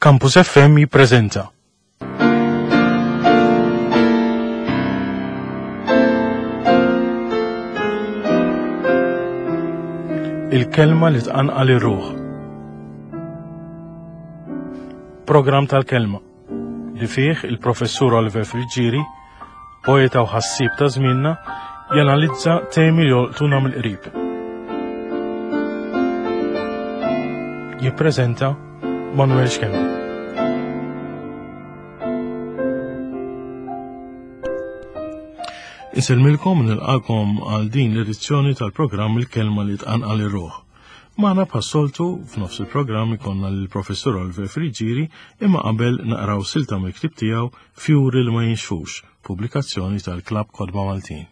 Campus FM jippreżenta. Il-kelma li tqanqal ir-ruħ. Programm tal-kelma li fih il-professur Oliver Friggieri, poeta u ħassieb ta' żmienna, janalizza temi li jolqtuna mill-qrib. Jippreżenta Manuel Schembri. Inselmilkom nilqakom għal din l-edizzjoni tal-programm Il-Kelma li tqanqal ir-ruħ. Magħna bħas-soltu f'nofs il-programm ikollna lill-Professur Oliver Friggieri imma qabel naqraw silta mill-ktieb tiegħu Fjuri li ma jinxfux, pubblikazzjoni tal-Klabb Kotba Maltin.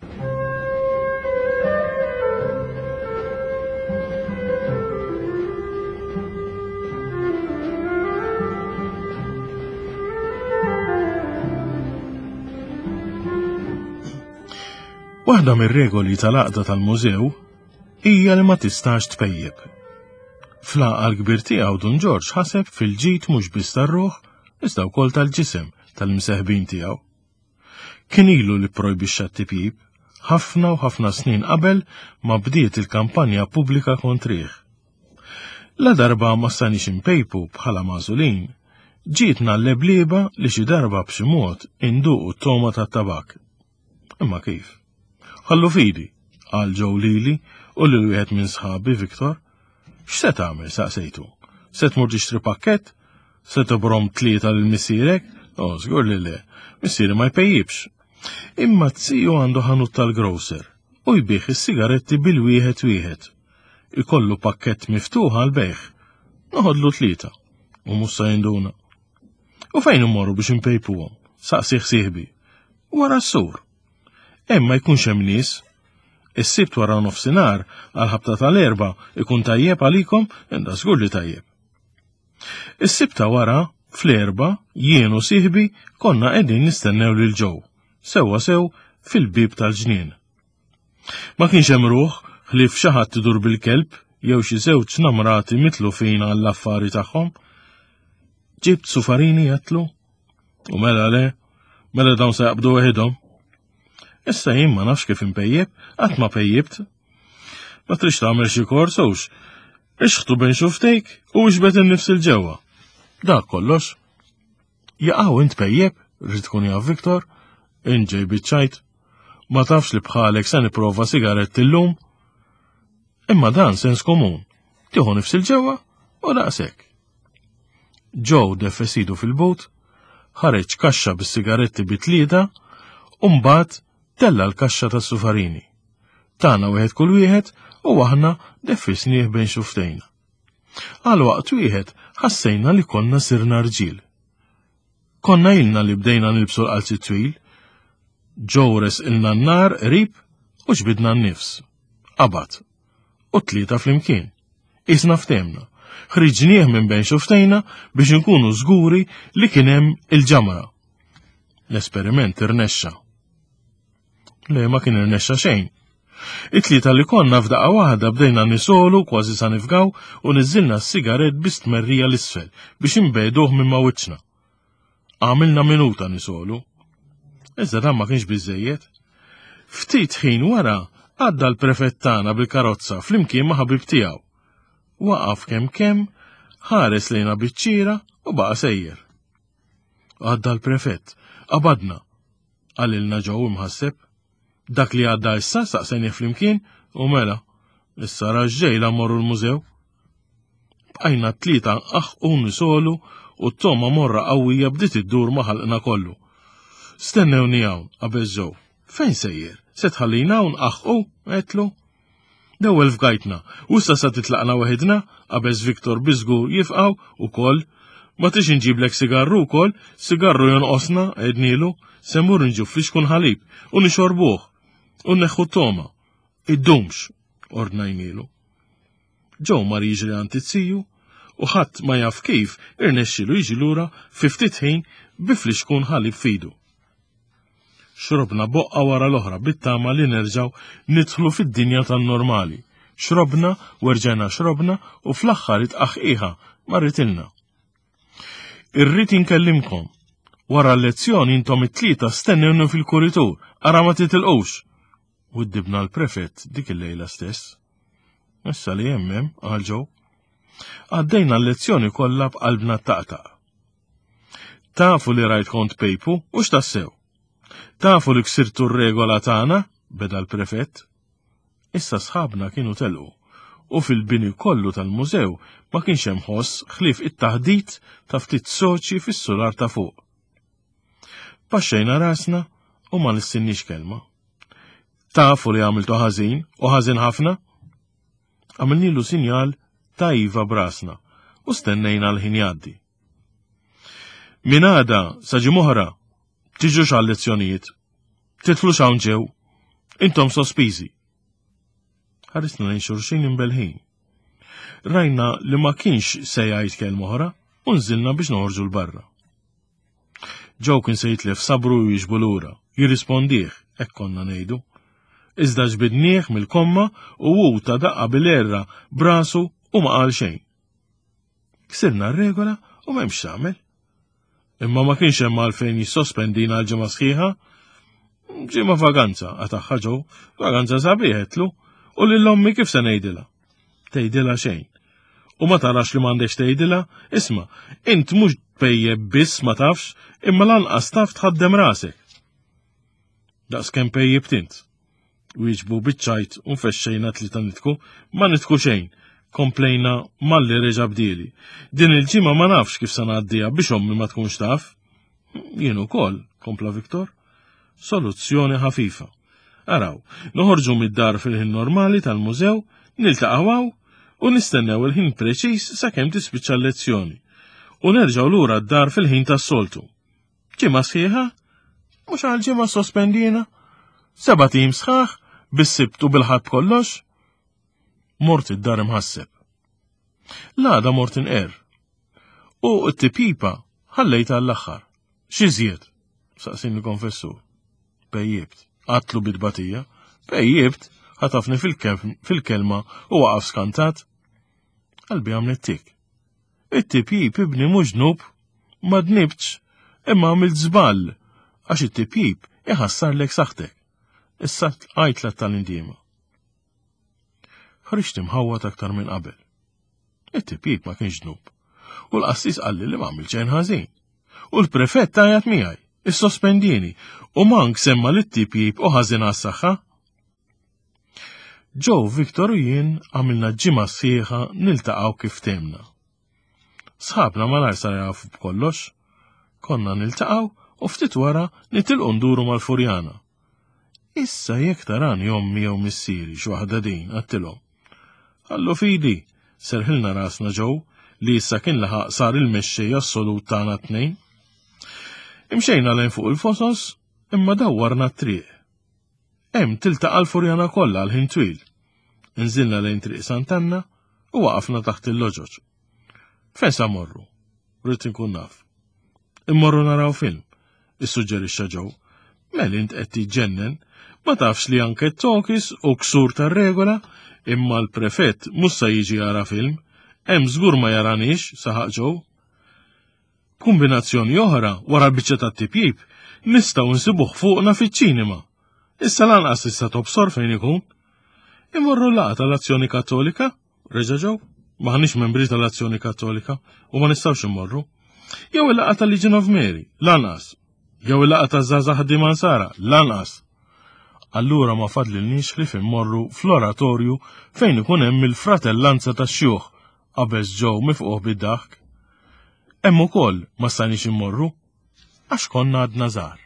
Waħda mir-regoli tal-għaqda tal-mużew hija li ma tistax tpejjep. Fl-għaqal kbir tiegħu Dun Ġorġ ħaseb fil-ġid mhux biss tar-ruħ, iżda wkoll tal-ġisem tal-imseħbin tiegħu. Kien ilu li pprojbixxa t-tipjip, ħafna u ħafna snin qabel ma bdiet il-kampanja pubblika kontrih. La darba ma stajniex inpejpu bħala magħżulin, ġietna l-leblieba li xi darba b'xi mod induqu t-togħma tat-tabak. Imma kif? Ħallu fidi, qal Joe lili u lil wieħed minn sħabi Victor. X'se tagħmel saqsejtu? Se tmur tixtri pakkett? Se tobrom tlieta lil missierek? Oh, żgur li le. Missieri ma jpejjibx. Imma t-siju għandu ħanut tal-grocer u jbigħ is-sigaretti bil-wieħed wieħed. Ikollu pakkett miftuħ għal bejħ. Noħodlu tlieta u mhux se jinduna. U fejn immorru biex inpejpuhom? Saqsih sieħbi. Wara s-sur. Hemm ma jkunx hemm nies. Is-sibt wara nofsinhar għal ħabta tal-erba ikun tajjeb għalikom, inda żgur li tajjeb. Is-sibt ta' wara, fl-erba, jien u sieħbi konna qegħdin nistennew lil ġew, sewwa sew fil-bieb tal-ġnien. Ma kienx hemm ruħ ħlief xi ħadd idur bil-kelb jew xi żewġ namrati mitlufin għall-affari tagħhom. Ġibt sufarini għatlu? U mela le, mela dawn se jaqbdu weħidhom. Issa jien ma nafx kif impejjeb, qatt ma pejjibt. Ma trix tagħmel xi kors hux. Ixħtu bejn xuftejk u ixbet in-nifs il-ġewwa. Dak kollox. Jaqaw int pejjeb, rrid tkun jaf Viktor, inġej biċċajt. Ma tafx li bħalek se nipprova sigarett illum? Imma dan sens komun. Tieħu nifs il-ġewwa u daqshekk. Joe defes idu fil-but, ħareġ kaxxa bis-sigaretti bi tlieta u mbagħad tella' l-kaxxa tas-sufarini. Tana wieħed kull wieħed u aħna deffisnieh bejn xuftejna. Għal waqt wieħed ħassejna li konna sirna rġiel. Konna ilna li bdejna nilbsu l-qalzi twil, Joe resqilna n-nar qrib u ġbidna n-nifs. Qabad. U tlieta flimkien. Isna ftehmna. Ħriġnieh minn bejn xuftejna biex inkunu żguri li kien hemm il-ġamra. L-esperiment irnexxa. Le ma kien irnexxa xejn. It-tlieta li konna f'daqqa waħda bdejna nisolu kważi sa nifgaw u niżilna s-sigarett bi stmerrija l-isfel biex inbeduh minn ma' wiċċna. Għamilna minuta nisolu. Iżda dan ma kienx biżejjed. Ftit ħin wara għadda l-prefett tagħna bil-karozza flimkien ma' ħabib tiegħu. Waqaf kemm kemm, ħares lejna biċ-ċira u baqa' sejjer. Għadda l-prefett, qabadna, qalilna ġew imħasseb. Dak li għadda issa staqsejnieh flimkien u mela, issa raġġejla morru l-mużew. Bqajna t-tlieta nqaħqu nisolu u t-togħma morra qawwija bdiet iddur ma' ħalqna kollu. Stennewni hawn, qabeż Joe. Fejn sejjer? Se tħallina hawn nqaħqu? Għedtlu. L-ewwel fgajtna, u issa sa titlaqna weħidna, qabeż Victor biżgur jifqgħu ukoll. Ma tix inġiblek sigarru wkoll, sigarru jonqosna, għednilu, se mmur nġib flixkun ħalib u nixorbuh u nneħħu t-togħma. Iddumx, ordnajnilu. Joe mar jiġri għand it-siju u ħadd ma jaf kif irnexxielu jiġi lura fi ftit ħin bi flixkun ħalib f'idu. Xrobna boqqa wara l-oħra bit-tama li nerġgħu nidħlu fid-dinja tan-normali. Xrobna u rġajna xrobna u fl-aħħar it-tqaħqiħa marritilna. Irrid inkellimkom. Wara l-lezzjoni intom it-tlieta stennewni fil-kuritur, ara ma titilqux. Widdibna l-prefett dik il-lejla stess. Issa li hemm hemm, qal Joe. Għaddejna l-lezzjoni kollha b'qalbna taqtaq. Tafu li rajt kont pejpu u x'tassew. Tafu li ksirtu r-regola tagħna, beda l-prefett. Issa sħabna kienu telqu u fil-bini kollu tal-mużew ma kienx hemm ħoss ħlief it-taħdit ta' ftit soċi fis-sular ta' fuq. Baxxejna rasna u ma lissinniex kelma. Tafu li għamiltu ħażin u ħażin ħafna? Għamilnilu sinjal ta' iva brasna u stennejna l-ħin jgħaddi. Min għada sa ġimgħa tiġux għal lezzjonijiet. Titlux hawn ġew. Intom sospiżi. Ħarisna lejn xulxin imbelħin. Rajna li ma kienx se jgħid kelma oħra u nżilna biex noħorġu l-barra. Joe kien se jitlef sabru u jiġbu lura, jirrispondih, hekk konna ngħidu. Iżda ġbidnieh mill-komma u hu ta daqqa bil-erra brasu u ma qal xejn. Ksirna r-regola u m'hemmx tagħmel. Imma ma kienx hemm għalfejn jissospendina għal ġimgħa sħiħa. Ġimgħa vaganza, qatagħha Joe, vaganza sabiħetlu, u lil ommi kif se ngħidilha? Tgħidilha xejn. U ma tarax li m'għandekx tgħidilha, isma' int mhux tpejjeb biss ma tafx, imma lanqas taf tħaddem rasek. Daqs kemm pejjibt int. Wieġbu biċ-ċajt u nfexxejna tlita nitku, ma nitku xejn. Komplejna malli reġa' bdieli. Din il-ġimgħa ma nafx kif se ngħaddiha biex ommi ma tkunx taf. Jien ukoll, kompla Viktor. Soluzzjoni ħafifa. Araw, noħorġu mid-dar fil-ħin normali tal-mużew, niltaqgħu hawn u nistennew il-ħin preċiż sakemm tispiċċa l-lezzjoni. U nerġgħu lura d-dar fil-ħin tas-soltu. Ġimgħa sħiħa? Mhux għal ġimgħa sospendina? Seba' tim sħaħ, bis-sibt u bil-ħadd kollox? Mort id-dar imħasseb. L-għada mort inqer. U t-tipipa ħallejta għall-aħħar. X'iżjed? Saqsini konfessur. Pejjibt. Għatlu bit-tbatija. Pejjibt, ħatafni fil-kelma u waqaf skantat. Qalbi għamlet tik. It-tipjip ibni mhux dnub, ma dnibtx, imma għamilt żball għax it-tipjip iħassarlek saħħtek. Issa għajtla tal-indiema. Ħriġt imħawwad aktar minn qabel. It-tipjip ma kienx dnub. U l-qassis qalli li ma għamilt xejn ħażin. U l-prefett għajat miegħi, issospendini, u mank semma li t-tipjip u ħażin għas-saħħa. Joe, Victor u jien għamilna ġimgħa sħiħa niltaqgħu kif temna. Sħabna malajr sar jafu b'kollox. Konna niltaqgħu u ftit wara nitilqu nduru mal-Furjana. Issa jekk tarani ommi jew missieri x'waħda din, għattilhom. Allu fidi, serħilna rasna Joe li issa kien laħaq sar il-mexxej assolut tagħna tnejn. Imxejna lejn fuq il-fosos imma dawwarna t-triq. Hemm tiltaqa' l-Furjana kollha għal ħin twil. Inżilna lejn Triq Sant'Anna u waqafna taħt il-loġoġ. Fejn sa morru? Rrid inkun naf. Immorru naraw film, issuġġerixxa Joe. Mel int qed tiġġennen, ma tafx li anke t-tokis u ksur tar-regola, imma l-prefett mhux sa jiġi jara film, hemm żgur ma jaranix, saħaq Joe. B'kumbinazzjoni oħra, wara l-biċċa tat-tipjip, nistgħu nsibuh fuqna fiċ-ċinema. Issa lanqas tista' tobsor fejn ikun. Imorru laqgħa tal-Azzjoni Kattolika? Reġa' ġew? Maħniex membri tal-Azzjoni Kattolika u ma nistgħux immorru. Jew il-laqgħa tal-Legion of Mary, lanqas. Jew il-laqgħa taż-żgħażagħ ħaddiema Nsara, lanqas. Allura ma fadlilniex ħlief immorru fl-oratorju fejn ikun hemm il-fratellanza tax-xjuħ qabeż Joe mifquh bid-daħk. Hemm ukoll ma stajniex immorru għax konna għadna żgħar.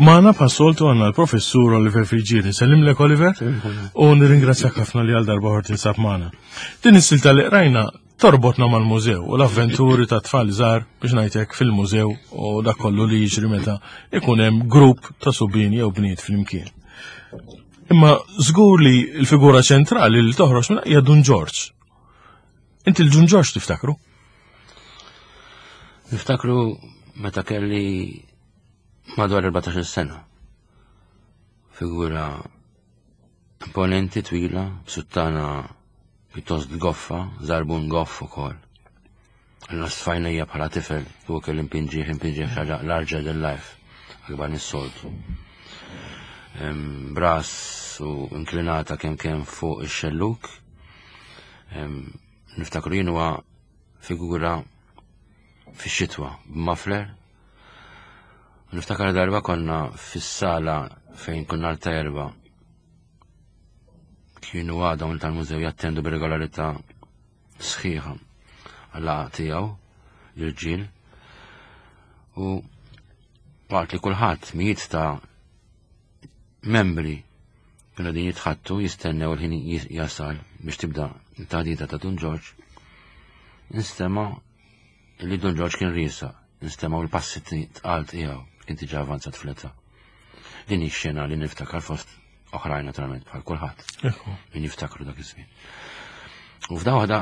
Magħna bħas-soltu għandna l-professur Oliver Friggieri. Nsellimlek Oliver u nirringrazzjak ħafna li għal darba ħor tinsab magħna. Din is-silta li qrajna torbotna mal-mużew u l-avventuri ta' tfal żgħar biex ngħidlek fil-mużew u dak kollu li jiġri meta ikun hemm grupp ta' subien jew bniet flimkien. Imma żgur li l-figura ċentrali li toħroġ minn hija Dun Ġorġ. Inti l-Dun Ġorġ tiftakru? Niftakru meta kelli madwar 14 sena. Figura imponenti twila, b'suttana pjuttost goffa, żarbun goff ukoll. Għanna sfajnija bħala tifel, u kelli impinġih, impinġih xaġa larger than life, akbar mis-soltu. Bras u inklinata kemm kemm fuq ix-xelluk. Niftakru jien huwa figura fix-xitwa b'muffler. Niftakar darba konna fis-sala fejn konna l erba kienu għadhom tal-mużew jattendu b'regolarità sħiħa għal tiegħu l-irġiel u waqt li kulħadd mijiet ta' membri kienu din jitħattu jistennew il-ħin jasal biex tibda t-taħdita ta' Dun Ġorġ, instema' li Dun Ġorġ kien riesa, instemgħu l-passi tqal tiegħu kien diġà avanzat fl-età. Din hi xena li niftakar fost oħrajn naturalment bħal kulħadd. Min jiftakru dak iż-żmien. U f'da waħda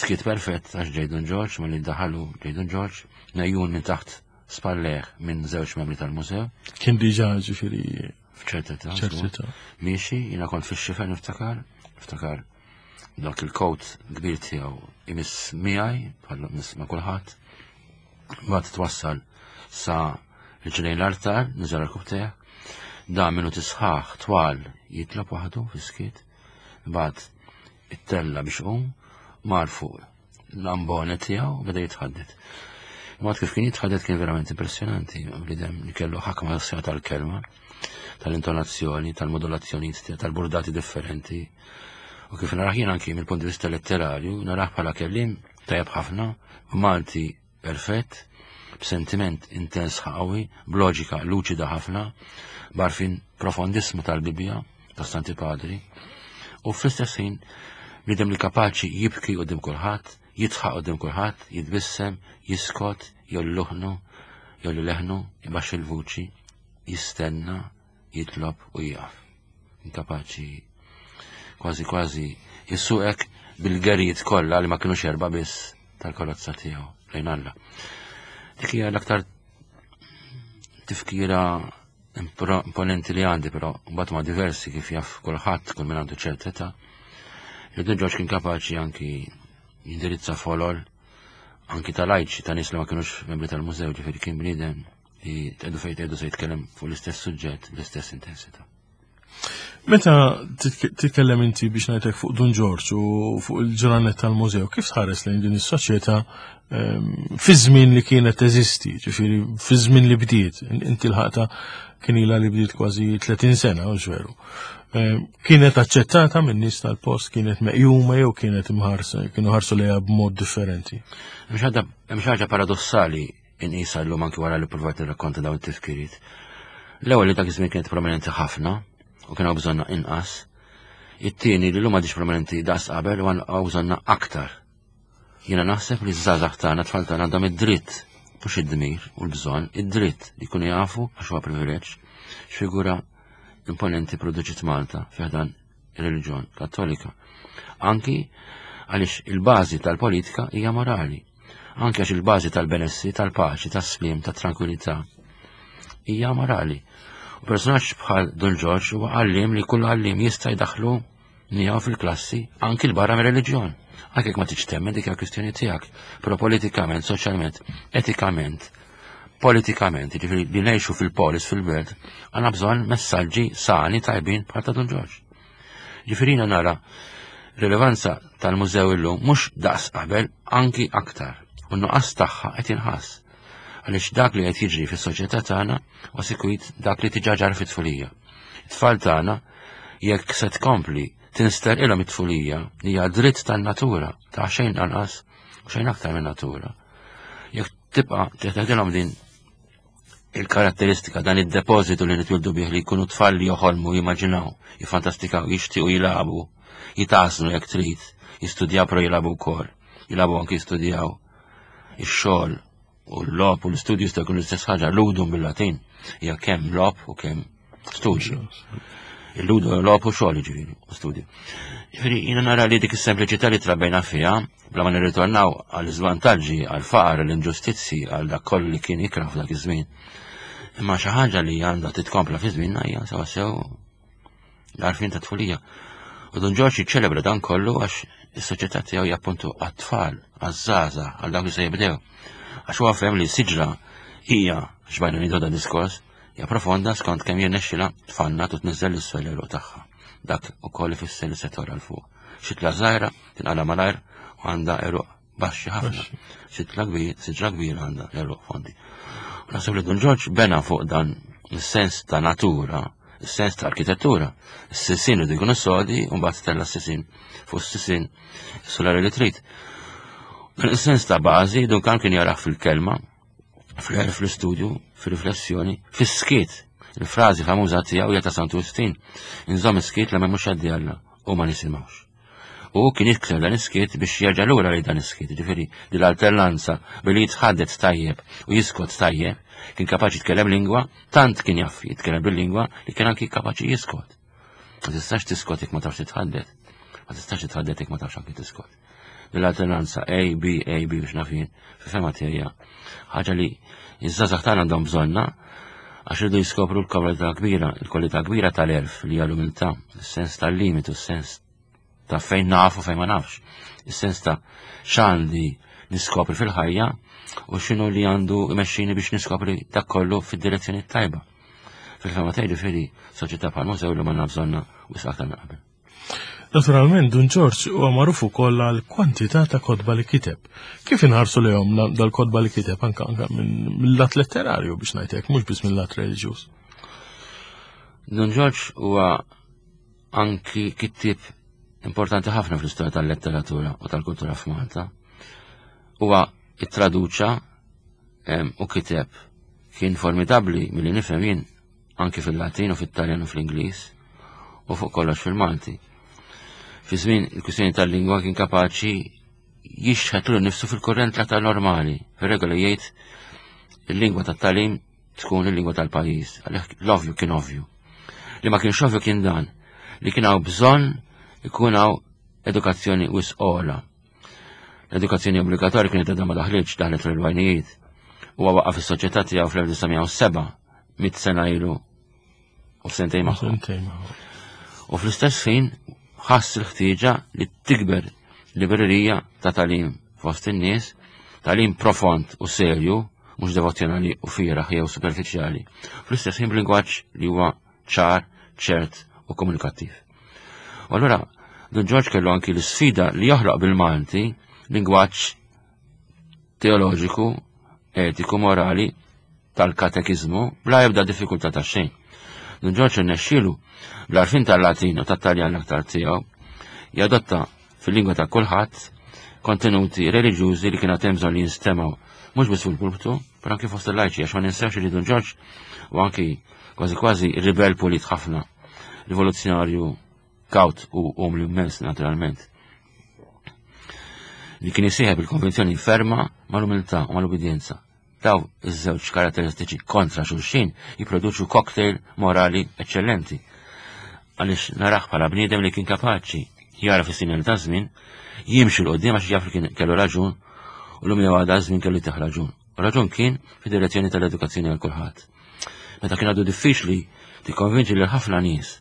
skit perfett għax ġej Dun Ġorġ malli daħalu ġej Dun Ġorġ nejjun minn taħt spalleħ minn żewġ membri tal-mużew. Kien diġà ġifieri f'ċerta età. Miexi, jiena kont fix-xifer niftakar, niftakar dak il-kowt kbir tiegħu imiss miegħi bħal miss ma' kulħadd. Mbagħad twassal sa riġlejn l-artar, niżel l-kubtejh. Da minnu tisħaħ twal jitlob waħdu fis-skiet. Mbagħad ittella biex qum, mar fuq l-ambone tiegħu beda jitħaddet. Mod kif kien jitħaddet kien verament impressjonanti, bniedem li kellu ħakma sħiħa tal-kelma, tal-intonazzjoni, tal-modulazzjoni, tal-burdati differenti. U kif narah jien anki mill-punt di vista letterarju, narah bħala kellim tajjeb ħafna, Malti perfett, b'sentiment intens qawwi, b'loġika luċida ħafna, b'għarfien profondissmu tal-Bibbja, tas-Santi Padri, u fl-istess ħin bniedem li kapaċi jibki quddiem kulħadd, jidħaq quddiem kulħadd, jitbissem, jiskot, jolli luħnu, jolli leħnu, ibaxxi l-vuċi, jistenna, jitlob u jieqaf. Inkapaċi kważi kważi jissuqek bil-gerijiet kollha li ma kinux erba' biss tal-karozza tiegħu lejn Alla. Dik hija l-aktar tifkira imponenti li għandi, però mbagħad ma' diversi kif jaf kulħadd kull min għandu ċerta età. Li Dun Ġorġ kien kapaċi anki jindirizza folol anki tal-ajċi ta' nies li ma kinux membri tal-mużew, ġifieri kien bniedem li tqedu fejn tqedu se jitkellem fuq l-istess suġġett bl-istess intensità. Meta titkellem inti biex ngħidlek fuq Dun Ġorġ u fuq il-ġranet tal-mużew, kif tħares lejn din is-soċjetà ehm, fi żmien li kienet teżisti, ġifieri fi żmien li bdiet, inti l-ħaqta kien ilha li bdiet kważi 30 sena, u veru. Ehm, kienet aċċettata minn nies tal-post, kienet meqjuma jew kienet imħarsa, kienu ħarsu lejha b'mod differenti. Hemm xi ħaġa paradossali inqisha llum anki wara li provajt nirrakkonta dawn it-tifkiriet. L-ewwel li dak iż-żmien kienet prominenti ħafna u kien hawn bżonna inqas. It-tieni li llum għadix prominenti daqs qabel u hawn bżonna aktar. Jiena naħseb li ż-żgħażagħ tagħna tfal tagħna għandhom id-dritt mhux id-dmir u l-bżonn, id-dritt li jkunu jafu għax huwa privileġġ x'figura imponenti produċiet Malta fi ħdan ir-reliġjon Kattolika. Anki għaliex il-bażi tal-politika hija morali. Anki għax il-bażi tal-benessi, tal-paċi, tas-slim, tat-tranquillità hija morali. U personaġġ bħal Dun Ġorġ huwa għallim li kull għallim jista' jdaħlu miegħu fil-klassi anki l-barra mir-reliġjon. Anke jekk ma tiġ temmen dik hija kwistjoni tiegħek, però politikament, soċjalment, etikament, politikament, jiġifieri li ngħixu fil-polis fil-belt, għandna bżonn messaġġi sani tajbin bħal ta' Dun Ġorġ. Ġifieri nara rilevanza tal-mużew illum mhux daqs qabel anki aktar u nuqqas tagħha qed jinħass. Għaliex dak li qed jiġri fis-soċjetà tagħna u sikwit dak li tiġa ġara fit-tfulija. It-tfal tagħna jekk se tkompli tinsterqilhom it-tfulija li hija dritt tan-natura ta' xejn anqas u xejn aktar minn natura. Jekk tibqa' teħtedilhom din il-karatteristika dan id-depożitu li nitwildu bih li jkunu tfal li joħolmu, jimmaġinaw, jifantastikaw, jixtiequ jilagħbu, jitgħażlu jekk trid, jistudjaw però jilagħbu wkoll, jilagħbu anki jistudjaw ix-xogħol u l-logħob u l-istudju jista' jkun l-istess ħaġa, ludum bil-Latin, hija kemm logħob u kemm studju. Il-ludo logħob u xogħol ġifieri, u studju. Ġifieri jiena nara li dik is-sempliċità li trabejna fiha, bla ma nirritornaw għal iżvantaġġi, għal faqar, l-inġustizzi, għal dak kollu li kien ikrah f'dak iż-żmien. Imma xi ħaġa li għandha titkompla fi żmienna hija sewa sew l-għarfien ta' tfulija. U Dun Ġorġ jiċċelebra dan kollu għax is-soċjetà tiegħu hija appuntu għat-tfal, għaż-żgħażagħ, għal dawk li se jibdew. Għax huwa fehem li siġra hija xbajna nidu dan diskors, hija profonda skont kemm jirnexxilha tfannat u tniżżel l-isfel l-għeruq tagħha. Dak ukoll ifisser li se tora l fuq. Xitla żgħira tinqala malajr u għandha għeruq baxxi ħafna. Xitla kbir, siġra kbira għandha għeruq fondi. U naħseb li Dun Ġorġ bena fuq dan is-sens ta' natura, is-sens ta' arkitettura. Is-sisin li jkunu sodi u mbagħad tella s-sisin fuq s-sisin solari li trid. Dan is-sens ta' bażi dun kan kien jarah fil-kelma, fl-għerf fl-istudju, fil-riflessjoni, fis-skiet. Il-frażi famuża tiegħu hija ta' Santu Wistin. Inżomm is-skiet la m'hemmx għaddi Alla u ma nisimgħux. U kien jikser dan is-skiet biex jerġa' lura lejn dan is-skiet, ġifieri din l-alternanza billi jitħaddet tajjeb u jiskot tajjeb, kien kapaċi jitkellem lingwa, tant kien jaf jitkellem bil-lingwa li kien anki kapaċi jiskot. Ma tistax tiskot jekk ma tafx titħaddet. Ma tistax titħaddet jekk ma tafx anki tiskot. L-alternanza A, B, A, B biex nafin, fi fema tiegħi ħaġa li iż-żgħażagħ tagħna għandhom bżonna għax irridu jiskopru l-kwalità kbira, il-kwalità kbira tal-erf li hija l-umiltà, is-sens tal-limitu, is-sens ta' fejn nafu fejn ma nafx, is-sens ta' x'għandi niskopri fil-ħajja u x'inhu li għandu imexxini biex niskopri dak kollu fid-direzzjoni tajba. Fil-fema tiegħi ġifieri soċjetà bħal mużew li ma bżonna wisq aktar minn qabel. Naturalment, Dun Ġorġ huwa magħruf ukoll għal kwantità ta' kotba li kiteb. Kif inħarsu lejhom dal-kotba li kiteb anka anka mill-lat letterarju biex ngħidlek, mhux biss mill-lat reliġjuż. Dun Ġorġ huwa anki kittieb importanti ħafna fl-istorja tal-letteratura u tal-kultura f'Malta. Huwa ittraduċa u kiteb kien formidabbli milli nifhem jien anki fil-Latin u fit-Taljan u fl-Ingliż u fuq kollox fil-Malti. Fi żmien il-kwistjoni tal-lingwa kien kapaċi jixħet l nifsu fil-kurrent l-aktar normali. Fir-regola jgħid il-lingwa tat-talim tkun il-lingwa tal-pajjiż. Għalhekk l-ovvju kien ovvju. Li ma kienx ovvju kien dan li kien hawn bżonn ikun hawn edukazzjoni wisq ogħla. L-edukazzjoni obbligatorja kienet għadha ma daħlitx daħlet fl-erbgħinijiet. Huwa waqqaf is-soċjetà tiegħu fl-1907 mit sena ilu u sentejn magħhom. U fl-istess ħin ħass il-ħtieġa li tikber librerija ta' talim fost in-nies, talim profond u serju, mhux devozzjonali u fieraħ jew superfiċjali. Fl-istess ħin b'lingwaġġ li huwa ċar, ċert u komunikattiv. U allura Dun Ġorġ kellu anki l-sfida li joħloq bil-Malti lingwaġġ teoloġiku, etiku, morali tal-katekiżmu bla ebda diffikultà ta' xejn. Dun Ġorġ irnexxielu bl-għarfien tal-Latin u tat-Taljan l-aktar tiegħu jadotta fil-lingwa ta' kulħadd kontenuti reliġjużi li kien hemm bżonn li jinstemgħu mhux biss fil-pulptu, però anki fost il-lajċi għax ma ninsewx li Dun Ġorġ u anki kważi kważi ribel pulit ħafna, rivoluzzjonarju kaut u umli immens naturalment. Li kien isieħeb il-konvenzjoni ferma mal-umiltà u mal-ubidjenza. Daw iż-żewġ karatteristiċi kontra xulxin jipproduċu cocktail morali eċċellenti. Għaliex naraħ bħala bniedem li kien kapaċi jara fis sinjali ta' żmien, jimxi l qoddim għax jaf li kien kellu raġun u l-lum jew għada żmien kellu jtih raġun. U raġun kien fid-direzzjoni tal-edukazzjoni għal kulħadd. Meta kien għadu diffiċli tikkonvinċi lil ħafna nies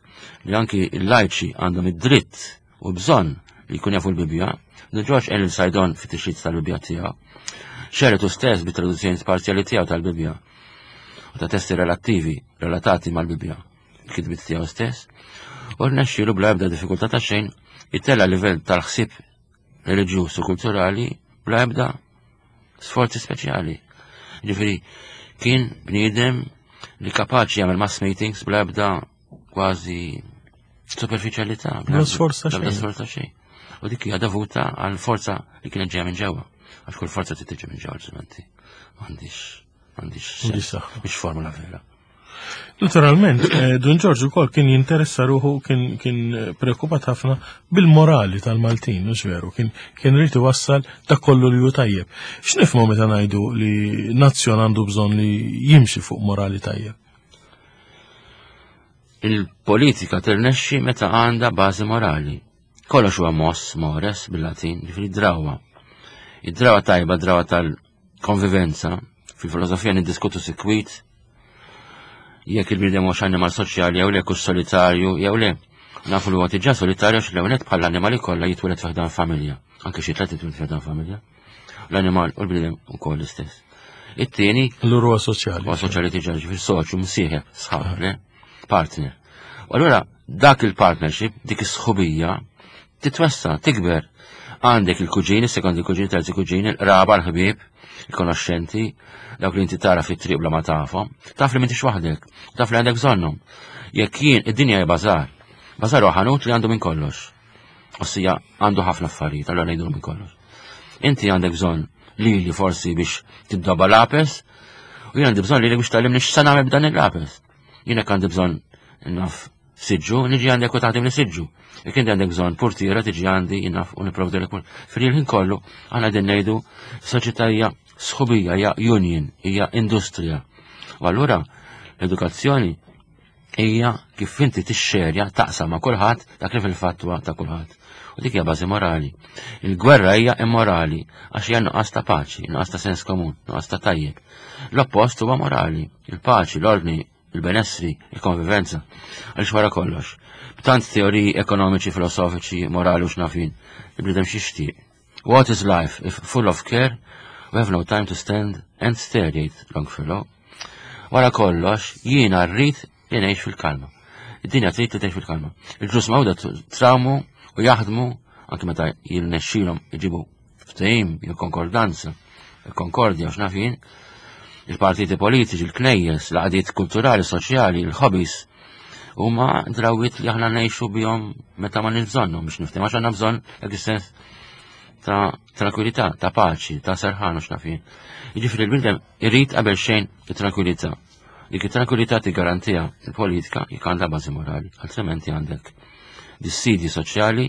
li anki l-lajċi għandhom id-dritt u bżonn li jkun jafu l-Bibbja, Dun Ġorġ Elil Sajdon fit-tixrid tal-Bibbja tiegħu. Xeretu stess bit-traduzzjoni parzjali tiegħu tal-Bibbja u ta' testi relattivi relatati mal-Bibbja, il-kitbiet tiegħu stess, u rnexxielu bla ebda diffikultà ta' xejn itella livell tal-ħsieb reliġjuż u kulturali bla ebda sforzi speċjali. Ġifieri kien bniedem li kapaċi jagħmel mass meetings bla ebda kważi superficialità. Bla sforza xejn. Bla sforza xejn. U dik hija dovuta għal forza li kienet ġejja minn ġewwa. Għax kull forza trid tiġi minn ġewwa ġimenti. M'għandix m'għandix mhix formula vera. Naturalment, eh, Dun Ġorġ ukoll kien jinteressa ruħu kien kien preokkupat ħafna bil-morali tal-Maltin, mhux veru, kien kien rrid iwassal dak kollu li hu tajjeb. X'nifhmu meta ngħidu li nazzjon għandu bżonn li jimxi fuq morali tajjeb? Il-politika tirnexxi meta għandha bażi morali. Kollox huwa mos, mores, bil-Latin, ġifieri drawa. Id-drawa tajba, drawa tal-konvivenza, fil-filosofija niddiskutu sikwit, jekk il-bniedem hux annimal soċjali jew le, kux solitarju jew le. Nafu li huwa diġà solitarju għax l-ewwel bħala annimali kollha jitwieled fi ħdan familja. Anke xi tliet jitwieled fi ħdan familja. L-animal u l-bniedem ukoll l-istess. It-tieni. Allura huwa soċjali. Huwa soċjali diġà ġifier soċju msieħeb, sħab, le? Partner. U allura dak il-partnership, dik is-sħubija, titwessa, tikber. Għandek il-kuġini, sekondi kuġini, terzi kuġini, il-qraba, l-ħbieb, il-konoxxenti, dawk li inti tara fit-triq bla ma tafhom, taf li m'intix waħdek, taf li għandek bżonnhom. Jekk jien id-dinja hija bażar, bażar huwa ħanut li għandu minn kollox. Ossia għandu ħafna affarijiet, allura ngħidu minn kollox. Inti għandek bżonn lili forsi biex tiddoba lapes, u jien għandi bżonn lili biex tgħallimni x'sa nagħmel b'dan il-lapes. Jien hekk għandi bżonn naf siġġu, niġi għandek u taħdim li siġġu. Jekk inti għandek bżonn portiera tiġi għandi naf u nipprovdilek pur. Fil-ħin kollu aħna qegħdin ngħidu soċjetà hija sħubija, hija union, hija industrija. U allura l-edukazzjoni hija kif inti tixxerja taqsam ma' kulħadd dak li fil-fatt huwa ta' kulħadd. U dik hija bażi morali. Il-gwerra hija immorali għax hija nuqqas ta' paċi, nuqqas ta' sens komun, nuqqas ta' tajjeb. L-oppost huwa morali, il-paċi, l-ordni, il-benessri, il-konvivenza. Għaliex wara kollox, b'tant teoriji ekonomiċi, filosofiċi, morali u x'nafin, il-bniedem xixtieq. What is life if full of care, we have no time to stand and stare, jgħid Longfellow. Wara kollox, jiena rrid li ngħix fil-kalma. Id-dinja trid li tgħix fil-kalma. Il-ġus mawda trawmu u jaħdmu anke meta jirnexxilhom iġibu ftehim, jew konkordanza, il-konkordja u x'naf jien, il-partiti politiċi, il-knejjes, l-għaqdiet kulturali, soċjali, il-hobbies, huma drawiet li aħna ngħixu bihom meta ma bżonnhom biex niftehmu għax għandna bżonn dak is-sens ta' tranquillità, ta' paċi, ta' serħan u x'naf jien. Jiġifieri l-bniedem irid qabel xejn it-tranquillità. Dik it-tranquillità tiggarantija il-politika jekk għandha bażi morali, altrimenti għandek dissidi soċjali,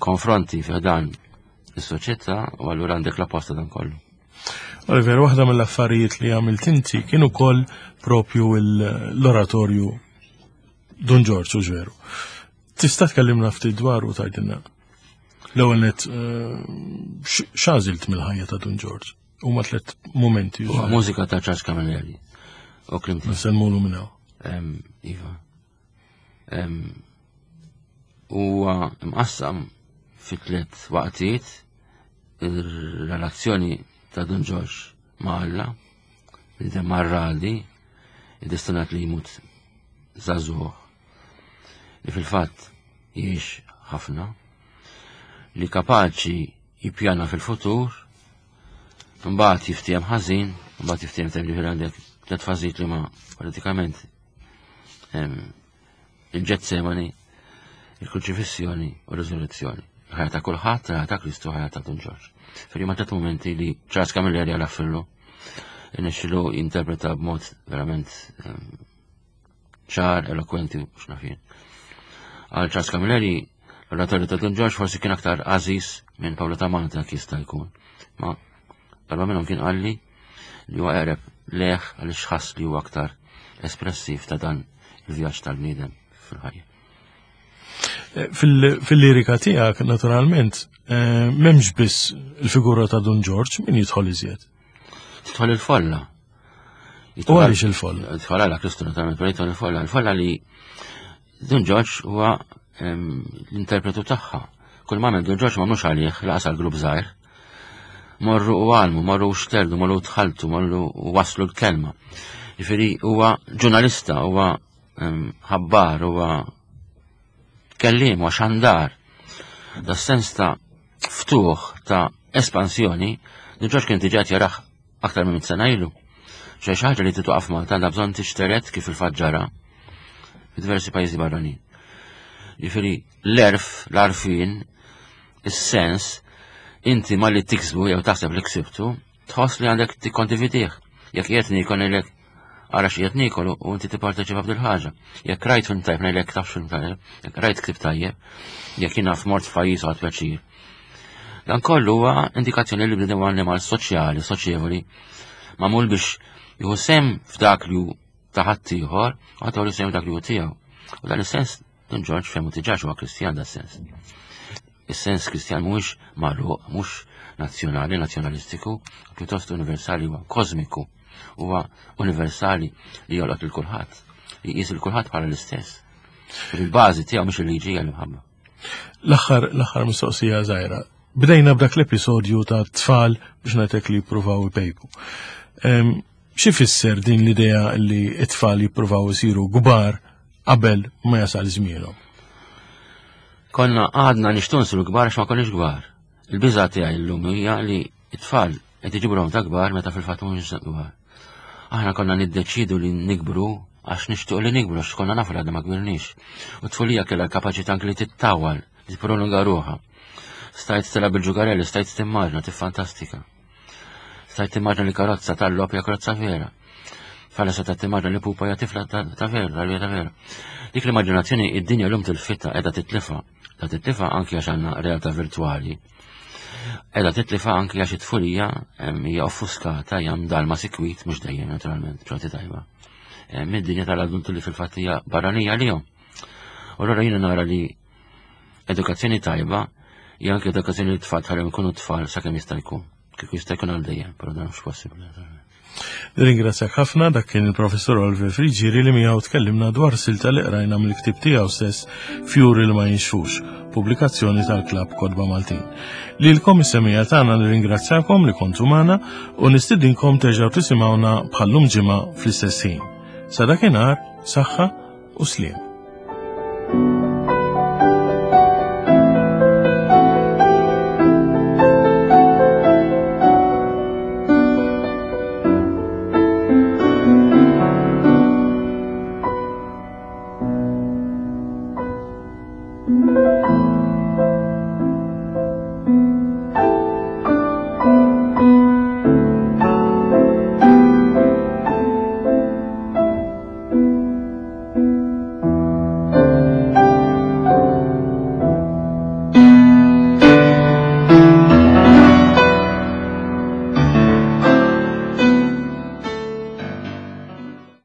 konfronti fi dan is-soċjetà u allura għandek l-apposta dan kollu. Oliver, waħda mill-affarijiet li għamilt inti kien ukoll propju l-oratorju Dun Ġorġ, u veru. Tista' tkellimna ftit dwar u tgħidilna. L-ewwel net eh, x'għażilt mill-ħajja ta' Dun Ġorġ? Huma tliet momenti. Mużika ta' Charles Camilleri. U klim. Nsemmulu minn hawn. Iva. Huwa mqassam fi tliet waqtiet il-relazzjoni ta' Dun Ġorġ ma' Alla, li marradi, destinat li jmut żagħżugħ, li fil-fatt jiex ħafna, li kapaċi jippjana fil-futur, mbagħad jiftiem ħażin, mbagħad jiftiem tajjeb għandek tliet fażijiet li ma pratikament il-Ġetsemani, il-kruċifissjoni u r-riżurrezzjoni. Ħajja ta' kulħadd, ħajja ta' Kristu, ħajja ta' Dun Ġorġ. Fil ma tliet momenti li Charles Camilleri għal fillu, nixxilu jinterpreta b'mod verament ċar, elokwenti u x'nafien. Għal Charles Camilleri, l-oratorju ta' Dun Ġorġ forsi kien aktar għażiż minn Pawlu ta' Malta jista' jkun. Ma darba minnhom kien qalli li huwa eqreb leħ għaliex ħass li huwa aktar espressiv ta' dan il-vjaġġ tal-bniedem fil-ħajja. Eh, fil-lirika tiegħek, naturalment, eh, m'hemmx biss il-figura ta' Dun Ġorġ, min jidħol iżjed? Tidħol il-folla. U għaliex il-folla? Tidħol għala Kristu naturalment, però jidħol il-folla. Il-folla li Dun Ġorġ huwa l-interpretu tagħha. Kull ma Dun Ġorġ ma mhux għalih laqas għal grupp żgħir. Morru u għalmu, morru u xterdu, morru u tħaltu, morru u waslu l-kelma. Ġifieri huwa ġurnalista, huwa ħabbar, huwa kellim, huwa xandar. Da sens ta' ftuħ ta' espansjoni, Dun Ġorġ kien diġà jaraħ aktar minn sena ilu. Xi ħaġa li titwaqaf Malta għandha bżonn tixteret kif il-fatt ġara f'diversi pajjiżi barranin. Ġifieri l-erf, l-arfin, is-sens, inti ma li tiksbu jew taħseb li ksibtu, tħoss li għandek tikkondividih. Jekk qiegħed niekol ngħidlek ara xi qed niekol u inti tipparteċipa f'dil ħaġa. Jekk rajt film tajjeb ngħidlek taf film tajjeb, jekk rajt ktib tajjeb, jekk jiena f'mort f'pajjiż u pjaċir. Dan kollu huwa indikazzjoni li bniedem huwa annimal soċjali, soċjevoli, magħmul biex jieħu sem f'dak li hu ta' ħaddieħor u ħadd jsemmi dak li hu tiegħu. U dan is-sens Dun Ġorġ fehmu diġà huwa Kristjan da sens. Is-sens Kristjan mhuwiex magħluq, mhux nazzjonali, nazzjonalistiku, pjuttost universali huwa kosmiku, huwa universali li jolqot lil kulħadd, li jqis il kulħadd bħala l-istess. Il-bażi tiegħu mhux il-liġi hija l-imħabba. L-aħħar l-aħħar mistoqsija żgħira. Bdejna b'dak l-episodju ta' tfal biex ngħidlek li jippruvaw ipejpu. Xi fisser din l-idea li t-tfal jippruvaw isiru kbar qabel ma jasal żmienhom? Konna għadna nixtu nsiru kbar għax ma konniex kbar. Il-biża' tiegħi llum hija li t-tfal qed iġibuhom ta' kbar meta fil-fatt mhumiex kbar. Aħna konna niddeċidu li nikbru għax nixtiequ li nikbru għax konna nafu li għadna ma kbirniex. U t-tfulija kellha l-kapaċità anki li tittawal, li tipprolunga ruħha. Stajt tilgħab bil-ġugarelli, stajt timmaġna, tiffantastika. Stajt timmaġna li karozza tal-logħob hija karozza vera. Fala seta timmaġna li pupa hija tifla ta' vera, tal ta' vera. Dik l-immaġinazzjoni id-dinja l-lum tilfita qiegħda titlifa. Ta' titlifa anki għax għandna realtà virtwali. Qiegħda titlifa anki għax it-tfulija hija offuskata hija mdalma sikwit mhux dejjem naturalment, ċorti tajba. Mid-dinja tal-adulti li fil-fatt hija barranija lihom. U allura jiena nara li Edukazzjoni tajba hija anke edukazzjoni li tfal tħallihom ikunu tfal sakemm jista' jkun. Kieku jista' jkun għal dejjem, però dan mhux possibbli. Nirringrazzjak ħafna dak kien il-Professur Oliver Friġieri li miegħu tkellimna dwar silta li qrajna mill-ktieb tiegħu stess Fjuri li ma jinxfux, pubblikazzjoni tal-Klabb Kotba Maltin. Lilkom is-semija tagħna nirringrazzjakom li kontu magħna u nistidinkom terġgħu tisimgħuna bħallum ġimgħa fl-istess ħin. Sa dakinhar, saħħa u sliem.